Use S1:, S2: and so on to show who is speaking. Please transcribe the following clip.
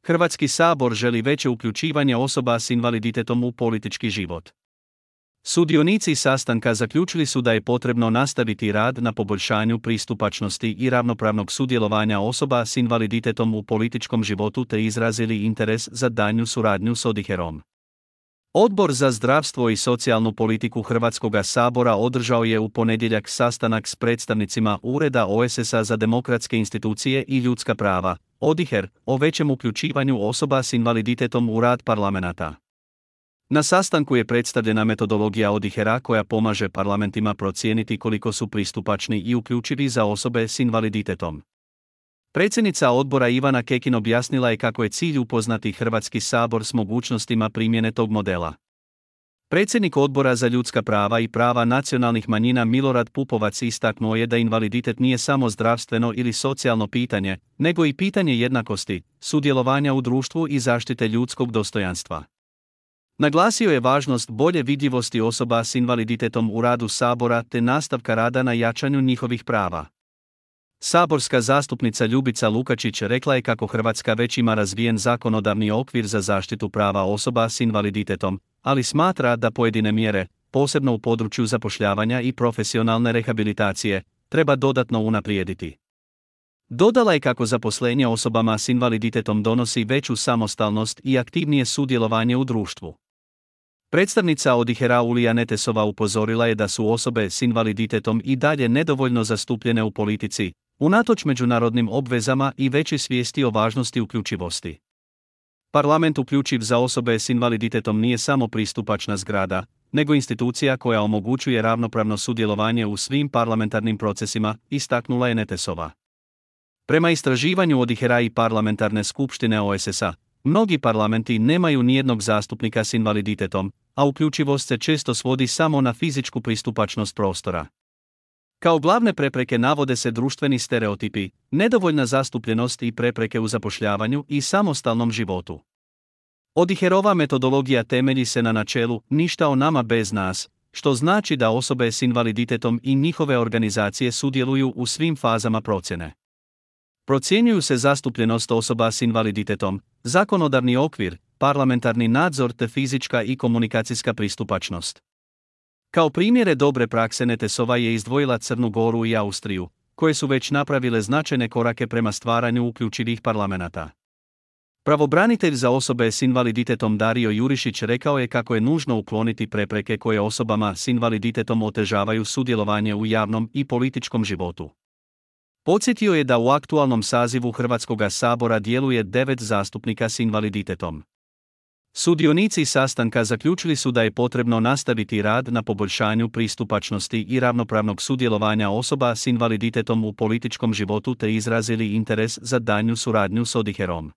S1: Hrvatski sabor želi veće uključivanje osoba s invaliditetom u politički život. Sudionici sastanka zaključili su da je potrebno nastaviti rad na poboljšanju pristupačnosti i ravnopravnog sudjelovanja osoba s invaliditetom u političkom životu te izrazili interes za daljnju suradnju s ODIHR-om. Odbor za zdravstvo i socijalnu politiku Hrvatskoga sabora održao je u ponedjeljak sastanak s predstavnicima Ureda OESS-a za demokratske institucije i ljudska prava, ODIHR, o većem uključivanju osoba s invaliditetom u rad parlamenata. Na sastanku je predstavljena metodologija ODIHR-a koja pomaže parlamentima procijeniti koliko su pristupačni i uključivi za osobe s invaliditetom. Predsjednica odbora Ivana Kekin objasnila je kako je cilj upoznati Hrvatski sabor s mogućnostima primjene tog modela. Predsjednik Odbora za ljudska prava i prava nacionalnih manjina Milorad Pupovac istaknuo je da invaliditet nije samo zdravstveno ili socijalno pitanje, nego i pitanje jednakosti, sudjelovanja u društvu i zaštite ljudskog dostojanstva. Naglasio je važnost bolje vidljivosti osoba s invaliditetom u radu Sabora te nastavka rada na jačanju njihovih prava. Saborska zastupnica Ljubica Lukačić rekla je kako Hrvatska već ima razvijen zakonodavni okvir za zaštitu prava osoba s invaliditetom, ali smatra da pojedine mjere, posebno u području zapošljavanja i profesionalne rehabilitacije, treba dodatno unaprijediti. Dodala je kako zaposlenje osobama s invaliditetom donosi veću samostalnost i aktivnije sudjelovanje u društvu. Predstavnica ODIHR-a Ulija Netesova upozorila je da su osobe s invaliditetom i dalje nedovoljno zastupljene u politici, unatoč međunarodnim obvezama i većoj svijesti o važnosti uključivosti. Parlament uključiv za osobe s invaliditetom nije samo pristupačna zgrada, nego institucija koja omogućuje ravnopravno sudjelovanje u svim parlamentarnim procesima, istaknula je Netesova. Prema istraživanju ODIHR-a i parlamentarne skupštine OESS-a, mnogi parlamenti nemaju nijednog zastupnika s invaliditetom, a uključivost se često svodi samo na fizičku pristupačnost prostora. Kao glavne prepreke navode se društveni stereotipi, nedovoljna zastupljenost i prepreke u zapošljavanju i samostalnom životu. ODIHR-ova metodologija temelji se na načelu ništa o nama bez nas, što znači da osobe s invaliditetom i njihove organizacije sudjeluju u svim fazama procjene. Procjenjuju se zastupljenost osoba s invaliditetom, zakonodavni okvir, parlamentarni nadzor te fizička i komunikacijska pristupačnost. Kao primjere dobre prakse Netesova je izdvojila Crnu Goru i Austriju, koje su već napravile značajne korake prema stvaranju uključivih parlamenata. Pravobranitelj za osobe s invaliditetom Dario Jurišić rekao je kako je nužno ukloniti prepreke koje osobama s invaliditetom otežavaju sudjelovanje u javnom i političkom životu. Podsjetio je da u aktualnom sazivu Hrvatskoga sabora djeluje 9 zastupnika s invaliditetom. Sudionici sastanka zaključili su da je potrebno nastaviti rad na poboljšanju pristupačnosti i ravnopravnog sudjelovanja osoba s invaliditetom u političkom životu te izrazili interes za daljnju suradnju s ODIHR-om.